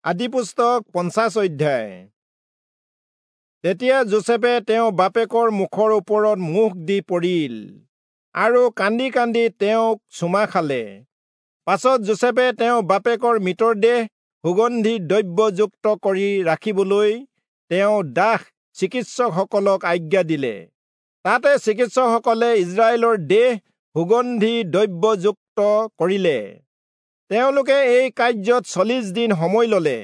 আদিপুস্তক 50 অধ্যায়। তেতিয়া যোচেফে তেওঁ বাপেকৰ মুখৰ ওপৰত মুখ দি পৰিল আৰু কান্দি কান্দি তেওঁক চুমা খালে। পাছত যোচেফে তেওঁ বাপেকৰ মৃতদেহ সুগন্ধি দ্ৰব্যযুক্ত কৰি ৰাখিবলৈ তেওঁ দাস চিকিৎসকসকলক আজ্ঞা দিলে। তাতে চিকিৎসকসকলে ইস্ৰায়েলৰ দেহ সুগন্ধি দ্ৰব্যযুক্ত কৰিলে। তেওঁলোকে এই কাৰ্যত 40 দিন সময় ললে,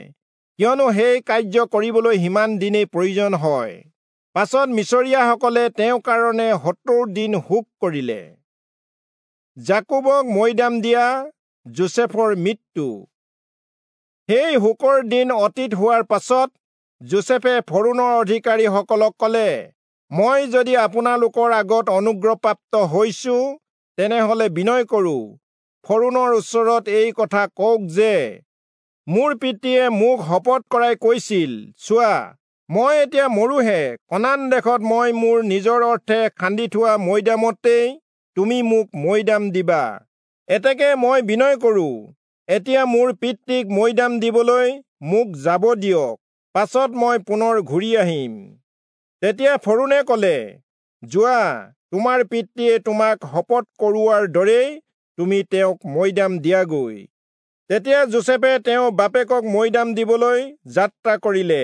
কিয়নো সেই কাৰ্য কৰিবলৈ সিমান দিনেই প্ৰয়োজন হয়। পাছত মিচৰীয়াসকলে তেওঁৰ কাৰণে 70 দিন শোক কৰিলে। যাকোবক মৈদাম দিয়া যোচেফৰ মৃত্যু। সেই শোকৰ দিন অতীত হোৱাৰ পাছত যোচেফে ফৰোণৰ অধিকাৰীসকলক কলে, মই যদি আপোনালোকৰ আগত অনুগ্ৰহপ্ৰাপ্ত হৈছো, তেনেহলে বিনয় কৰো, ফৰোণৰ ওচৰত এই কথা কওক যে মোৰ পিতৃয়ে মোক শপত কৰাই কৈছিল, চোৱা, মই এতিয়া মৰোহে, কনান দেশত মই মোৰ নিজৰ অৰ্থে খান্দি থোৱা মৈদামতেই তুমি মোক মৈদাম দিবা। এতেকে মই বিনয় কৰো, এতিয়া মোৰ পিতৃক মৈদাম দিবলৈ মোক যাব দিয়ক, পাছত মই পুনৰ ঘূৰি আহিম। তেতিয়া ফৰোণে কলে, যোৱা, তোমাৰ পিতৃয়ে তোমাক শপত কৰোৱাৰ দৰেই তুমি তেওঁক মৈদাম দিয়াগৈ। তেতিয়া যোচেফে তেওঁ বাপেকক মৈদাম দিবলৈ যাত্ৰা কৰিলে।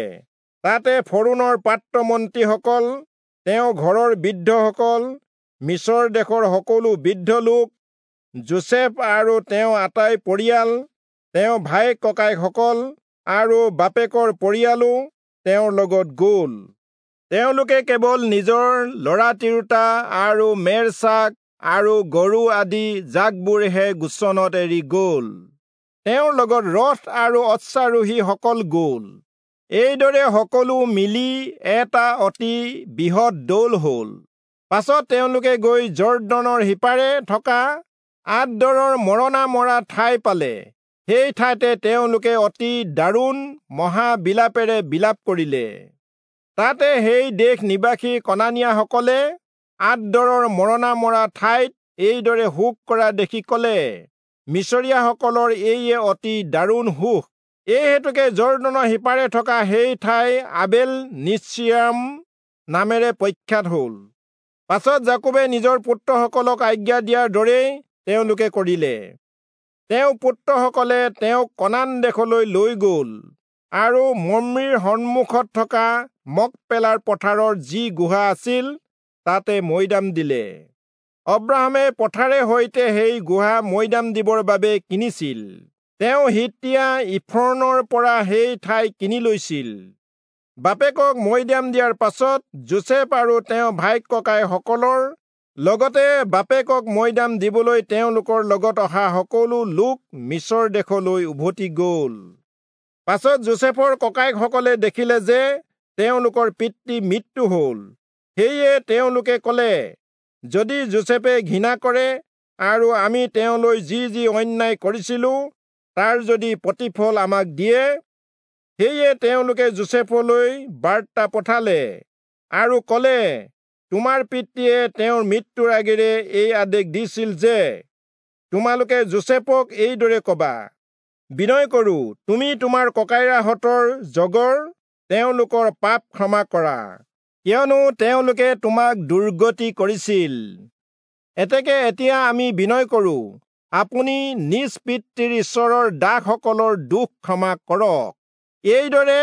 তাতে ফৰোণৰ পাত্ৰমন্ত্ৰীসকল, তেওঁ ঘৰৰ বৃদ্ধসকল, মিচৰ দেশৰ সকলো বৃদ্ধ লোক, যোচেফ আৰু তেওঁ আটাই পৰিয়াল, তেওঁ ভায়েক ককায়েকসকল আৰু বাপেকৰ পৰিয়ালো তেওঁৰ লগত গ'ল। তেওঁলোকে কেৱল নিজৰ ল'ৰা তিৰোতা আৰু মেৰ ছাগ আৰু গৰু আদি জাকবোৰহে গোচনত এৰি গ'ল। তেওঁৰ লগত ৰথ আৰু অশ্বাৰোহীসকল গ'ল। এইদৰে সকলো মিলি এটা অতি বৃহৎ দল হ'ল। পাছত তেওঁলোকে গৈ যৰ্দনৰ সিপাৰে থকা আদৰৰ মৰণা মৰা ঠাই পালে। সেই ঠাইতে তেওঁলোকে অতি দাৰুণ মহাবিলাপেৰে বিলাপ কৰিলে। তাতে সেই দেশ নিবাসী কনানীয়াসকলে আদৰৰ মৰণা মৰা ঠাইত এইদৰে শোক কৰা দেখি কলে, মিচৰীয়াসকলৰ এইয়ে অতি দাৰুণ শোক। এই হেতুকে যৰ্দনৰ সিপাৰে থকা সেই ঠাই আবেল মিৎসৰায়িম নামেৰে প্ৰখ্যাত হ'ল। পাছত যাকোবে নিজৰ পুত্ৰসকলক আজ্ঞা দিয়াৰ দৰেই তেওঁলোকে কৰিলে। তেওঁ পুত্ৰসকলে তেওঁক কনান দেশলৈ লৈ গ'ল আৰু মম্ৰিৰ সন্মুখত থকা মকপেলাৰ পথাৰৰ যি গুহা আছিল তাতে মৈদাম দিলে। অব্ৰাহামে পথাৰে সৈতে সেই গুহা মৈদাম দিবৰ বাবে কিনিছিল। তেওঁ হিত্তীয়া ইফ্ৰোণৰ পৰা সেই ঠাই কিনি লৈছিল। বাপেকক মৈদাম দিয়াৰ পাছত যোচেফ আৰু তেওঁ ভাইক ককাইসকলৰ লগতে বাপেকক মৈদাম দিবলৈ তেওঁলোকৰ লগত অহা সকলো লোক মিচৰ দেশলৈ উভতি গ'ল। পাছত যোচেফৰ ককায়েকসকলে দেখিলে যে তেওঁলোকৰ পিতৃ মৃত্যু হ'ল। সেয়ে তেওঁলোকে কলে, যদি যোচেফে ঘৃণা কৰে আৰু আমি তেওঁলৈ যি যি অন্যায় কৰিছিলো তাৰ যদি প্ৰতিফল আমাক দিয়ে। সেয়ে তেওঁলোকে যোচেফলৈ বাৰ্তা পঠালে আৰু কলে, তোমাৰ পিতৃয়ে তেওঁৰ মৃত্যুৰ আগেৰে এই আদেশ দিছিল যে তোমালোকে যোচেফক এইদৰে কবা, বিনয় কৰো, তুমি তোমাৰ ককাইৰাহঁতৰ জগৰ তেওঁলোকৰ পাপ ক্ষমা কৰা, কিয়নো তেওঁলোকে তোমাক দুৰ্গতি কৰিছিল। এতেকে এতিয়া আমি বিনয় কৰো, আপুনি নিজ পিতৃৰ ঈশ্বৰৰ দাসসকলৰ দোষ ক্ষমা কৰক। এইদৰে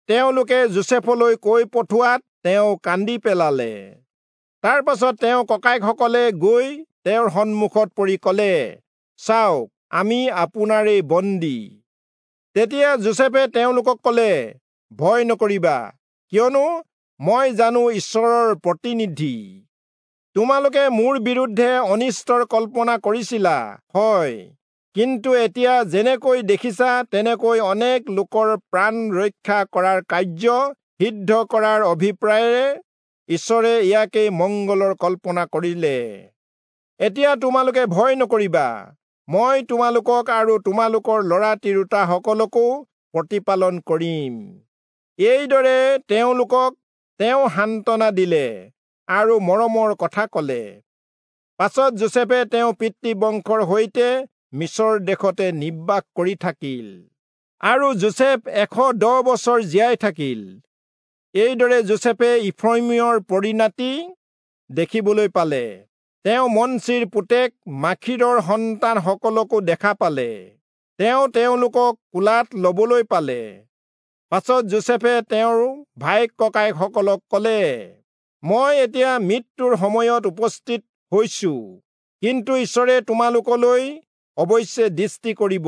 তেওঁলোকে যোচেফলৈ কৈ পঠোৱাত তেওঁ কান্দি পেলালে। তাৰ পাছত তেওঁ ককায়েকসকলে গৈ তেওঁৰ সন্মুখত পৰি কলে, চাওক, আমি আপোনাৰেই বন্দী। তেতিয়া যোচেফে তেওঁলোকক কলে, ভয় নকৰিবা, কিয়নো মই জানো ঈশ্বৰৰ প্ৰতিনিধি। তোমালোকে মোৰ বিৰুদ্ধে অনিষ্টৰ কল্পনা কৰিছিলা হয়, কিন্তু এতিয়া যেনেকৈ দেখিছা তেনেকৈ অনেক লোকৰ প্ৰাণ ৰক্ষা কৰাৰ কাৰ্য সিদ্ধ কৰাৰ অভিপ্ৰায়েৰে ঈশ্বৰে ইয়াকেই মংগলৰ কল্পনা কৰিলে। এতিয়া তোমালোকে ভয় নকৰিবা, মই তোমালোকক আৰু তোমালোকৰ ল'ৰা তিৰোতাসকলকো প্ৰতিপালন কৰিম। এইদৰে তেওঁলোকক তেওঁ সান্তনা দিলে আৰু মৰমৰ কথা কলে। পাছত যোচেফে তেওঁ পিতৃ বংশৰ সৈতে মিচৰ দেশতে নিবাস কৰি থাকিল। আৰু যোচেফ 110 বছৰ জীয়াই থাকিল। এইদৰে যোচেফে ইফ্ৰয়িমৰ পৰিণতি দেখিবলৈ পালে। তেওঁ মনচিৰ পুতেক মাখীৰৰ সন্তানসকলকো দেখা পালে। তেওঁ তেওঁলোকক কোলাত ল'বলৈ পালে। পাছত যোচেফে তেওঁৰ ভায়েক ককায়েকসকলক ক'লে, মই এতিয়া মৃত্যুৰ সময়ত উপস্থিত হৈছো, কিন্তু ঈশ্বৰে তোমালোকলৈ অৱশ্যে দৃষ্টি কৰিব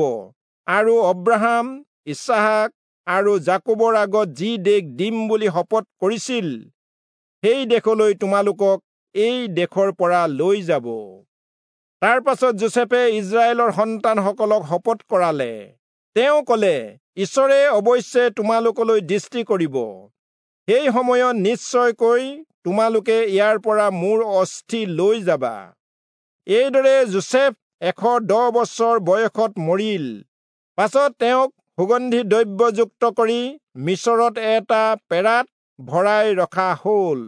আৰু অব্ৰাহাম, ইচহাক আৰু যাকোবৰ আগত যি দেশ দিম বুলি শপত কৰিছিল, সেই দেশলৈ তোমালোকক এই দেশৰ পৰা লৈ যাব। তাৰ পাছত যোচেফে ইস্ৰায়েলৰ সন্তানসকলক শপত কৰালে। তেওঁ ক'লে, ঈশ্বৰে অৱশ্যে তোমালোকলৈ দৃষ্টি কৰিব, সেই সময়ত নিশ্চয়কৈ তোমালোকে ইয়াৰ পৰা মোৰ অস্থি লৈ যাবা। এইদৰে যোচেফ 110 বছৰ বয়সত মৰিল। পাছত তেওঁক সুগন্ধি দ্ৰব্যযুক্ত কৰি মিচৰত এটা পেৰাত ভৰাই ৰখা হ'ল।